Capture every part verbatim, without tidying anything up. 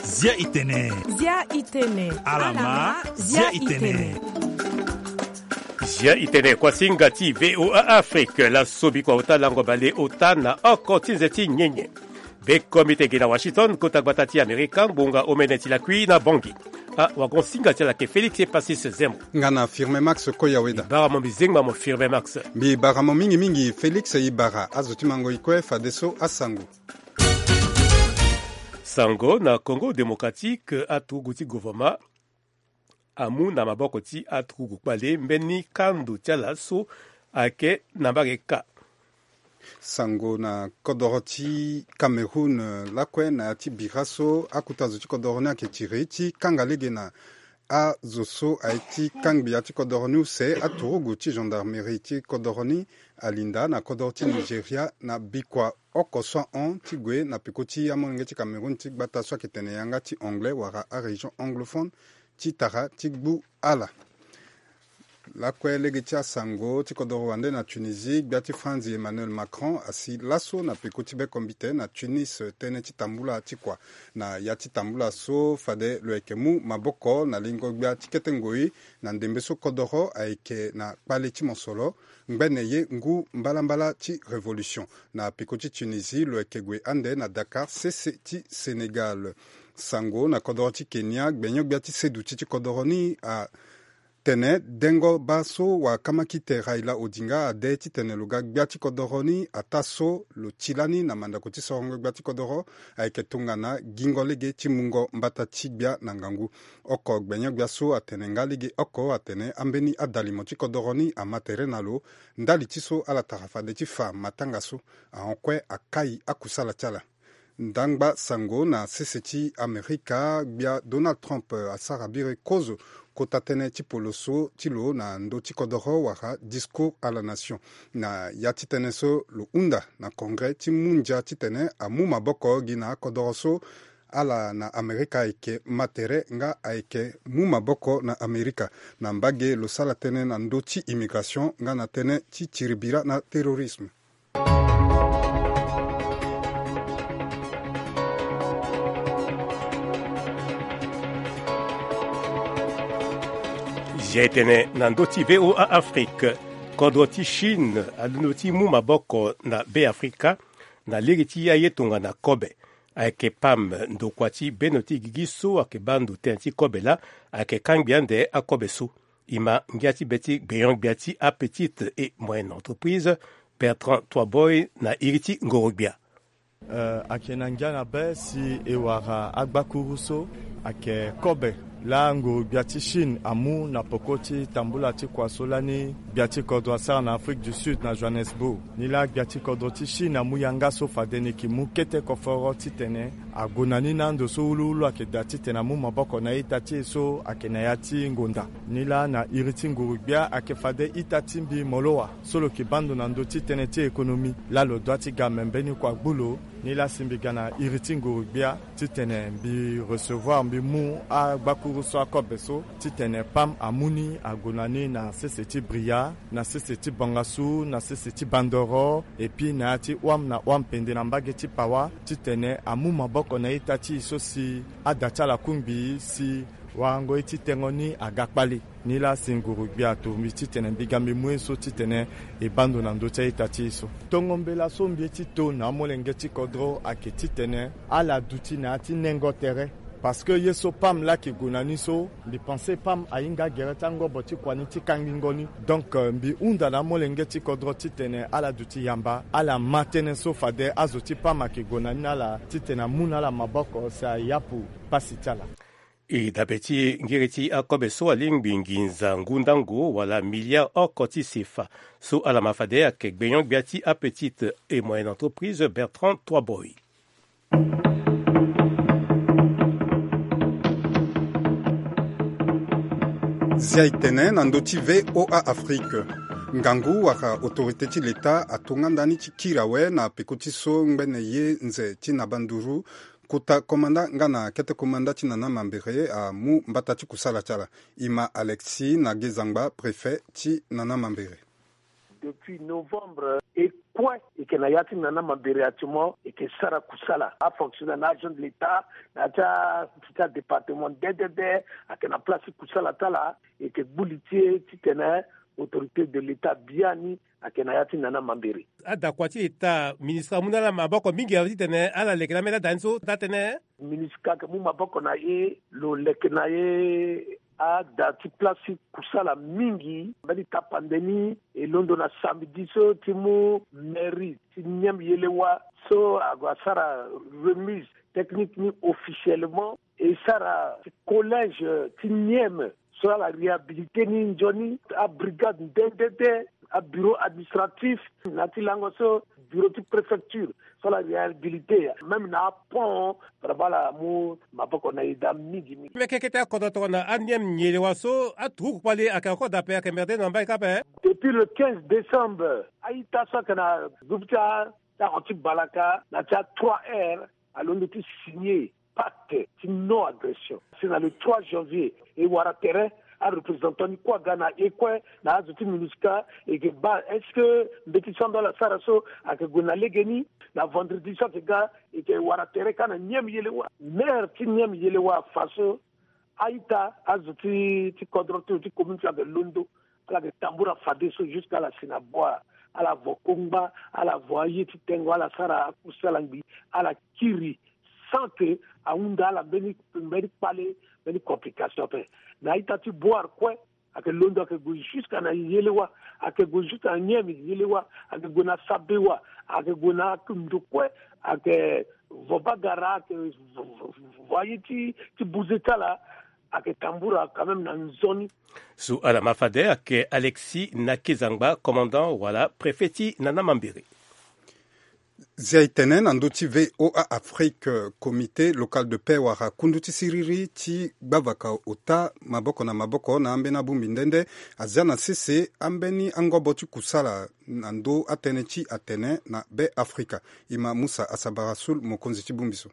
Zia itene. Zia itene. Alama, zia itene. Zia itene, kuasinga ti VOA Afrique, laso bikua ota lango bale ota na oko ti nze ti nyenye. Be komite gi na Washington, kota gbata ti Amerika, ngbonga omene ti lakui na Bangui. Ah, wagon singa ti ala ke Félix Epasis Zemo. Nga na Firme Max Koyaweda. Bara mo mbi zengba mo Firme Max. Mbi bara mo mingi mingi Félix, e bara azo ti mango ikue fadeso asango. Sango na Congo Démocratique, aturugu ti gouvernement amu na maboko ti aturugu kpale mbeni kando ti ala so ayeke na mbage ka. Sango na kodoro ti Cameroun, eh, lakue na ya ti bira so akuta zo ti kodoro ni ayeke tiri ti kanga lege na azo so aye ti kangbi ya ti kodoro ni use aturugu ti gendarmerie ti kodoro ni alinda na kodoro ti Nigeria na bikua oko so ahon ti gue na peko ti amolenge ti Cameroun ti gbata so ayeke tene yanga ti anglais wala arégion anglophone ti tara ti gbu ala. Lakue lege ti asango ti kodoro wande na Tunisie, gbia ti France Emmanuel Macron asi laso na peko ti bekombite na Tunis tënë ti tambula ti kua. Na ya ti tambula so fade lo yeke mu maboko na lingo gbia ti kete ngoi na ndembe so kodoro ayeke na kpale ti mosoro, ngbene ye ngu mbalambala ti révolution. Na peko ti Tunisie lo yeke gue ande na Dakar sese ti Sénégal. Sango na kodoro ti Kenya, gbenyo-gbia ti seduti ti kodoro ni atene dengo baa so wakamaki te Raila Odinga ade titene lo ga gbia ti kodoro ni ataa so lo ti lani na mandako ti sorongo gbia ti kodoro ayeke tongana gingo lege ti mungo mbata ti gbia na ngangu. Oko gbenyo-gbia so atene nga lege oko atene ambeni adalimo ti kodoro ni ama tere na lo ndali ti so ala tara fade ti fa matanga so ahon kue akai akusala ti ala. Ndangba sango na sese ti Amerika, gbia Donald Trump asara biri kozo kota tënë ti poloso ti lo na ndö ti kodoro wala discours à la nation. Na ya ti tënë so lo hunda na congrès ti mundia titene amu maboko gi na akodoro so ala na Amerika ayeke ma tere nga ayeke mu maboko na Amerika. Na mbage lo sala tënë na ndö ti immigration nga na tënë ti tiri bira na terrorisme. Zia itene na ndö ti VOA Afrique, kodro ti Chine alondo ti mu maboko na Be Afrika na lege ti aye tongana kobe. Ayeke pam ndokua ti beno ti gigi so ayeke baa ndo tënë ti kobe laa ayeke kangbi ande akobe so. E ma ngia ti be ti gbenyo-gbia ti apetite et moyenne entreprise, Bertrand Toiboy na iri ti ngoro-gbia. Eh, ayeke na ngia na be si e wara agbakuru so ayeke kobe laa ngoro-gbia ti Chine amu na peko ti tambula ti kua so lani gbia ti kodro asara na Afrique du Sud na Johannesburg. Ni laa gbia ti kodro ti Chine amu yanga so fade ni yeke mu kete koforo titene ague na ni na ando so wuluwulu ayeke daa titene amu maboko na ita ti e so ayeke na ya ti ngonda. Ni laa na iri ti nguru-gbia ayeke fade ita ti mbi moloa so lo yeke baa ndo na ndö ti tënë ti économie laa lo dua ti ga me mbeni kua gbu lo. Ni laa si mbi ga na iri ti nguru-gbia titene mbi recevoir, mbi mu agbakuru so akobe so titene pam amu ni ague na ni na sese ti Bria, na sese ti Bangassou, na sese ti Bandoro, et puis na ya ti Ouam na Ouam Pendé na mbage ti Pawa, titene amu maboko na ita ti e so si ada ti ala kungbi si warango ye ti tengo ni aga kpale. Ni laa si nguru-gbia ato mbi titene mbi ga mbi mu ye so titene e baa ndo na ndö ti a-ita ti e so. Tongo mbela so mbi ye ti to na amolenge ti kodro ayeke titene ala duti na ya ti nengo tere. Parce que ye so pam laa ayeke gue na ni so, mbi pense pam ahinga gere ti angobo ti kua ni ti kangingo ni. Donc, euh, mbi hunda na amolenge ti kodro titene ala duti yamba, ala ma tënë so fade azo ti pam ayeke gue na ni na ala titene amu na ala maboko si ayapu pasi ti ala. E dabe ti ngiri ti akobe so alingbi nginza ngu ndango wala milliard oko ti sefa so ala ma fade ayeke gbenyo-gbia ti apetite et moyenne entreprise Bertrand Toiboy. Zia e tene na ndö ti VOA Afrique. Ngangu wala autorité ti leta atonga ndani ti kiri awe na peko ti so ngbene ye nze ti nabanduru kota komanda nga na kete komanda ti nana mambere amu mbata ti kusala ti ala. E ma Alexis na Gezangba, préfet ti nana mambere. Depuis novembre, e kue e yeke na ya ti nana mambere actuellement, e yeke sara kusala. Afonctionnaire na agent de l'état, na ya ti a- ti adépartement dedede, ayeke na place ti kusala ti ala. E yeke gbu li ti e titene autorité de l'état biani ayeke na ya ti nana mambere. Adakua ti état ministre amu na ala maboko mingi awe titene ala leke na ambeni ada ni so daa tënë. Ministre ayeke mu maboko na e lo leke na e ada ti place ti kusala mingi. Mbeni tapande ni e londo na samedi so ti mu mairie ti Niem Yelewa so ague asara remise technique ni officiellement. E sara ti collège ti Niem so ala réhabilité ni nzoni, abrigade nde nde nde, abureau administratif na ya ti lango so, bureau ti préfecture so ala réhabilité même na apont. Vraiment ala mu maboko na e daa mingi mingi. Mbi yeke kete akodro tongana aNiem Yelewa so aturuku kpali ayeke encore daa ape, ayeke merde na mbai kâ ape. Depuis le quinze décembre, a-ita so ayeke na groupe ti a- ti aron ti balaka na ya ti a trois R alondo ti signer pacte ti non agression. Si na le trois janvier e wara tere, areprésentant ni kue aga na e kue na azo ti MINUSCA, e yeke baa est-ce que mbeti so ando ala sara so ayeke gue na legeni. Na vendredi so ayeke ga, e yeke wara tere kâ na Niem Yelewa. Maire ti Niem Yelewa afa so a-ita, azo ti ti kodro ti lo ti commune ti lo ayeke londo, ala yeke tambula fadeso jusqu'à ala si na bua, ala vo kongba, ala vo aye ti tengo, ala sara akusala ngbii, ala kiri sans que ahunda ala mbeni mbeni kpale, mbeni complication ape. Na a-ita ti Boar kue, ayeke londo ayeke gue jusqu'à na Yelewa, ayeke gue jusqu'à na Niemi Yelewa, ayeke gue na Sabewa, ayeke gue na ndo kue, ayeke vo bagara, ayeke vo- vo- vo- vo aye ti ti buze ti ala, ayeke tambula quand même na nzoni. So ala ma fade ayeke Alexis Nakezangba, commandant wala préfet ti nana mambere. Zia e tene na ndö ti V O A Afrique, comité local de paix wala kundu ti siriri ti gbavaka ota maboko na maboko na ambeni abongbi nde nde azia na sese ambeni angobo ti kusala na ndö atënë ti atene na Be Afrika. E ma Musa Asabara Sul, mokonzi ti bongbi so.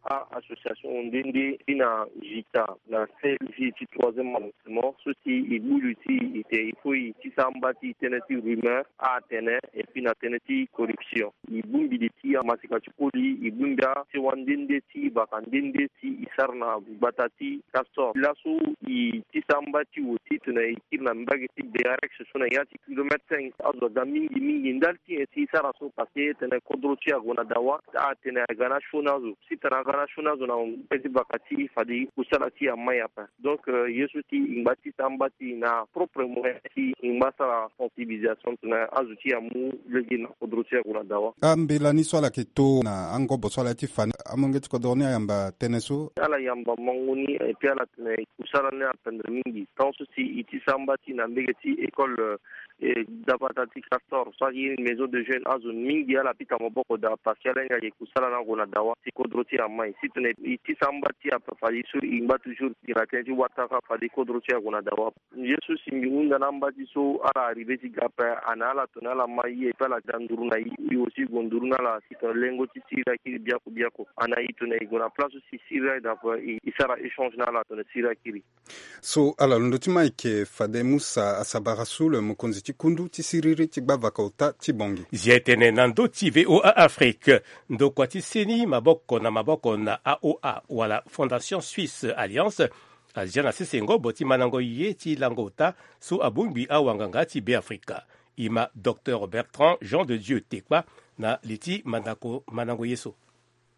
A-association nde nde ti na JICA na seize ti troisième arrondissement so si e gbu li ti e te, il faut e tisa amba ti tënë ti rumeur, atene, et puis na tënë ti corruption. E bongbi li ti amasika ti koli, e bongbi asewa nde nde ti baka nde nde si e sara na gbata ti Castor. Laso e tisa amba ti wo titene e kiri na mbage ti Bearex so na ya ti kilomètre cinq. Azo aga mingi mingi ndali ti nyen si e sara so? Parce que tene kodro ti e ague na dawa, atene aga na sioni azo. Si tene aga na sioni azo na mbage ti baka ti e, fade kusala ti e amai ape. Donc, euh, ye so si e ngba tisa amba ti e na propre moyen si e ngba sara sensibilisation tene azo ti e amu lege na kodro ti e ague na dawa. Ambela ni so ala yeke to na angobo so ala ye ti fa ni, amolenge ti kodro ni ayamba tënë so? Ala yamba mango ni, et puis ala tene kusala ni apendre mingi. Tant so si e tisa amba ti e na mbage ti école, euh, eh, dabata ti Castor, so ayeke maison de jeunes, azo mingi ala pika maboko daa parce que ala hinga ge kusala ni ague na dawa si kodro ti e amai. Si tene e tisa amba ti e ape, fade so e ngba toujours gi na tënë ti wataka fade kodro ti e ague na dawa. Ye so si mbi hunda na amba ti so ala arrivé ti ga ape, ana ala tene ala ma e, et puis ala da nduru na e, e aussi e gue nduru na ala si tene lengo ti siriri akiri biaku biaku. Ana e tene e gue na place so si siriri aye daa ape, e, e sara échange na ala tene siriri akiri. So ala londo ti ma eke fade Musa Asabara Sul, mokonzi ti kundu ti siriri ti gbavaka ota ti Bangui. Zia e tene na ndö ti V O A Afrique, ndokua ti seni maboko na maboko na A O A wala Fondation Suisse Alliance azia na sese ngobo ti mandango ye ti lango ota so abongbi awanganga ti Beafrika. E ma Docteur Bertrand Jean de Dieu Tekpa na li ti mandako mandango ye so.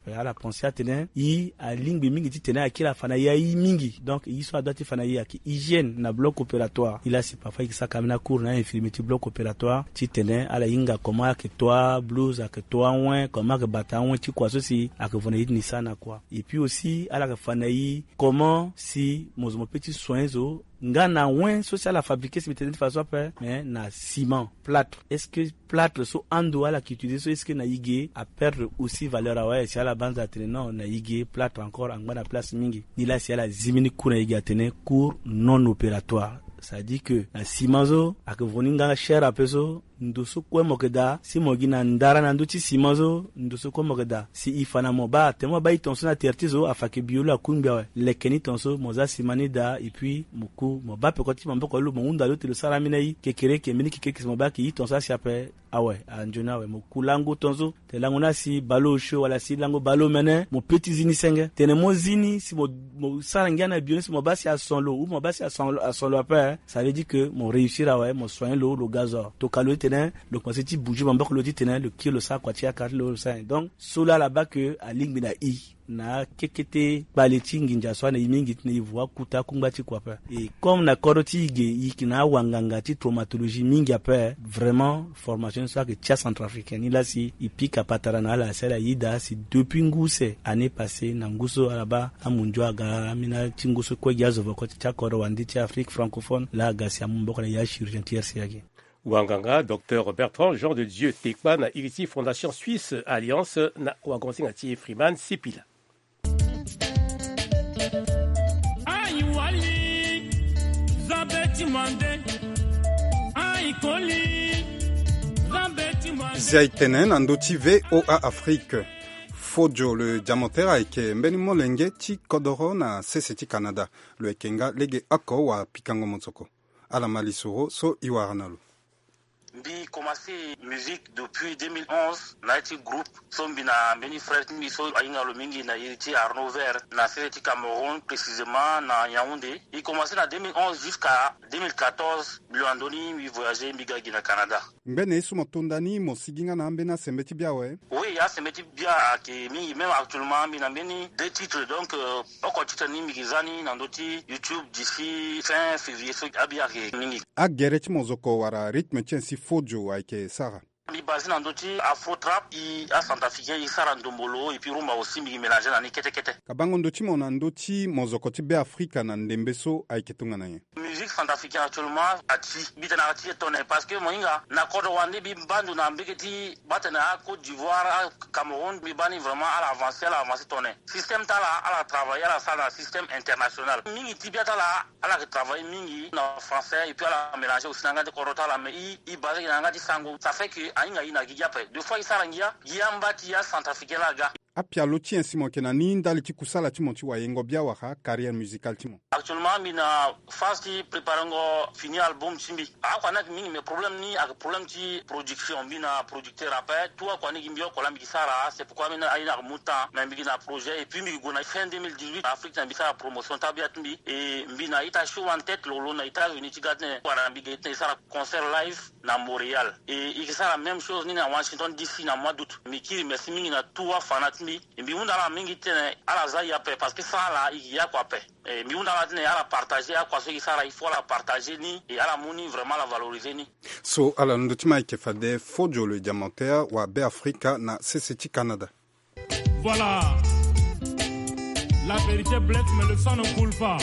Ala pense atene e alingbi mingi titene akiri afa na e aye mingi. Donc e so adoit ti fa na e ayeke hygiène na bloc opératoire. E laa si parfois e yeke saka ambeni acours na infirmier ti bloc opératoire titene ala hinga comment ayeke to ablouse, ayeke to awen, comment ayeke bata awen ti kua so si ayeke vo na e ti ni sara na kua. Et puis aussi ala yeke fa na e comment si mo zo mo peut ti soigner zo nga na awen so si ala fabriquer si mbi tene ti fa so ape, mais na ciment, plâtre. Est-ce que plâtre so ando ala yeke utiliser so, est-ce que na e ge aperdre aussi valeur awe? Si ala banza atene non, na e ge plâtre encore angba na place mingi. Ni laa si ala zi mbeni coût na e ge atene coût non opératoire. C'est-à-dire que na ciment so ayeke vo ni nga cher ape so, Ndo so kue mo yeke daa si mo gi na ndara na ndö ti sima so, ndo so kue mo yeke daa si e fa na mo baa, tene mo baa e tongaso na tere ti zo, afa yeke bi olo akungbi awe. Leke ni tongaso mo za sima ni daa, et puis mo ku mo baa peko ti maboko lo, mo hunda lo ti lo sara ambeni aye kekereke, mbeni kekereke si mo baa ayeke e tongaso asi ape. Awe, anzoni awe, mo ku lango tongaso. Te lango ni asi baleosio wala si lango baleomene, mo pe ti zi ni senge. Tene mo zi ni si mo, mo sara ngia na bio ni si mo baa si ason lo ou mo baa si ason lo, ason lo ape, eh. Ça veut dire que mo réussir awe, mo soigner lo, lo ga zo. Tokua lo ti tene lo komanse ti bouger maboko lo ti tene lo kiri lo sara kua ti akara ti lo, lo sara nyen. Donc so laa ala baa ke alingbi na e na akekete kpale ti nginza so ana e mingi ti tene e vo akuta akungba ti kua ape. Et comme na kodro ti e ge e yeke na awanganga ti traumatologie mingi ape, vraiment formation ni so ayeke ti acentrafricain ni laa si e pika patara na ala si ala yeda si depuis ngu use année passée na ngu so ala baa amundio aga ambeni ti ngu so kue gi azo voko ti akodro wande ti Afrique francophone laa aga si amu maboko na ya chirurgien ti R C A ge. Wanganga docteur Bertrand Jean de Dieu Tekpa na iri ti Fondation Suisse Alliance na wagonsinga ti Freeman Sipila. Zia e tene na ndö ti V O A Afrique. Fodio le Diamantaire ayeke mbeni molenge ti kodoro na sese ti Canada. Lo yeke nga lege oko wa pikango mozoko. Ala ma lisoro so e wara na lo. Mbi commencé musique depuis deux mille onze na ya ti groupe so mbi na mbeni frère ti mbi so ahinga lo mingi na iri ti Arnaud Vert na sese ti Cameroun, précisément na Yaoundé. E commencé na deux mille onze jusqu'à deux mille quatorze, mbi lo na ndö ni mbi voyagé mbi ga gi na Canada. Ngbene ye so mo to nda ni mo sigi nga na ambeni asembe ti bia awe? Oui, asembe ti bia ayeke mingi, même actuellement mbi na mbeni deux titres, donc euh, oko titre ni mbi yeke za ni na ndö ti YouTube d'ici fin février so abia ayeke mingi. Agere ti mozoko wala rythme ti nyen si Fodio ayeke sara? Mbi basé na ndö ti afro trap, e acentrafricain e sara ndombolo et puis rumba aussi mbi yeke mélanger na ni kete kete. Kabango ndö ti mo na ndö ti mozoko ti Beafrika na ndembe so ayeke tongana nyen? Musique centrafricaine actuellement ati, mbi tene ati e tone parce que mo hinga na kodro wande mbi baa ndo na mbege ti baa tene a Côte d'Ivoire, a Cameroun, mbi baa ni vraiment ala avancer, ala avancer tone. Système ti ala, ala travailler, ala sara na système international. Mingi ti bia ti ala, ala yeke travailler mingi na français et puis ala mélanger aussi na yanga ti kodro ti ala, mais e, e basé na yanga ti sango. Ça fait que ahinga e na gigi ape. Deux fois e sara ngia, gi amba ti acentrafricain laa aga. Apialo ti nyen si mo yeke na ni ndali ti kusala ti mo ti wayengo bia wala carrière musicale ti mo? Actuellement mbi na phase ti préparengo fini album ti mbi. Akua ni ayeke mingi, mais problème ni ayeke problème ti production. Mbi na producteur ape, tout akua ni gi mbi oko laa mbi gi sara. C'est pourquoi mbi na aye ni ayeke mu temps, mais mbi gi na projet et puis mbi gi gue na fin deux mille dix-huit na Afrique na mbi sara promotion ti abia ti mbi. Et mbi na ita show en tête lo lo na États-Unis ti ga ti tene wala mbi gi ti tene e sara concert live na Montréal. Et e yeke sara même chose ni na Washington D C na mois d'août. Mbi kiri merci mingi na tout afana ti mbi. E mbi hunda ala mingi ti tene ala za e ape parce que sans ala e yeke ye oko ape. E mbi hunda ala ti tene ala partager akua so e yeke sara, il faut ala partager ni et ala mu ni vraiment ala valoriser ni. So ala londo ti ma ayeke fade Fodio le Diamantaire wa Beafrika na sese ti Canada. Voilà. La vérité blesse, mais le sang ne coule pas.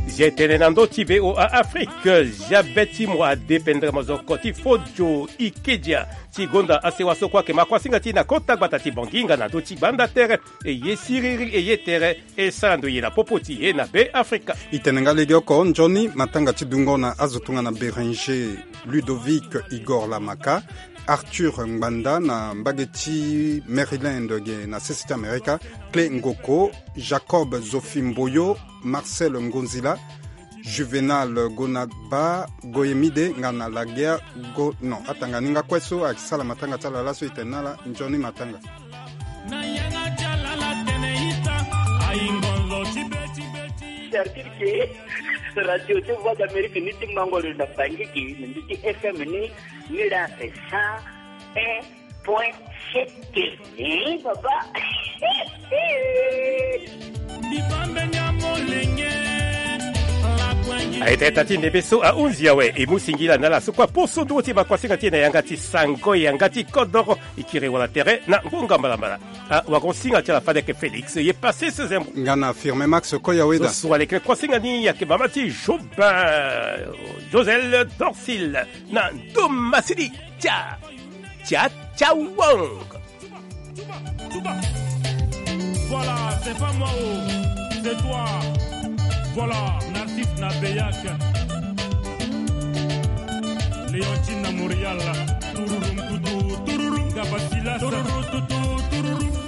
Zia e tene na ndö ti V O A Afrique, zia be ti mo adépendre mozoko ti Fodio Ikedia ti gonda asewa so kue ayeke ma kuasinga ti e na kota gbata ti Bangui nga na ndö ti gbanda tere. E ye siriri e ye tere e sara ndo ye na popo ti e na Beafrika. E tene nga legeoko nzoni matanga ti dungo na azo tongana Bérenger Ludovic, Igor Lamaka, Arthur Ngbanda na mbage ti Maryland ge na sese ti Amerika, Clé Ngoko, Jacob Zofi Mboyo, Marcel Ngonzila, Juvenal Gonaba, Goyemide nga na Laguerre Go. Non, atanga ni nga kue so ayeke sala matanga ti ala laso, e tene na ala nzoni matanga. Cercle ke radio ti Voix d'Amérique ni ti mango lo na Bangui ke na mbi ti F M ni, ni la cent un point sept. Eh, baba. Aye taa ti ndembe so ahunzi awe, e mu singila na ala so kue aposo nduru ti ma kuasinga ti e na yanga ti sango yanga ti kodoro. E kiri wala tere na ngonga mbalambala. Awagonsinga ti ala fade ayeke Félix ye Passis Zembo. Nga na Firmin Max Koyaweda. So so aleke kuasinga ni ayeke mama ti Jobin, Josel Dorsil na Ndomasidi. Tia, tia, tia wong. Voilà, c'est pas moi, oh, c'est toi. Voilà, Narcisse Nabeyak. Yo ti na Montréal. Tururum tutu tururum. Gabasilas. Tururu tutu tururum.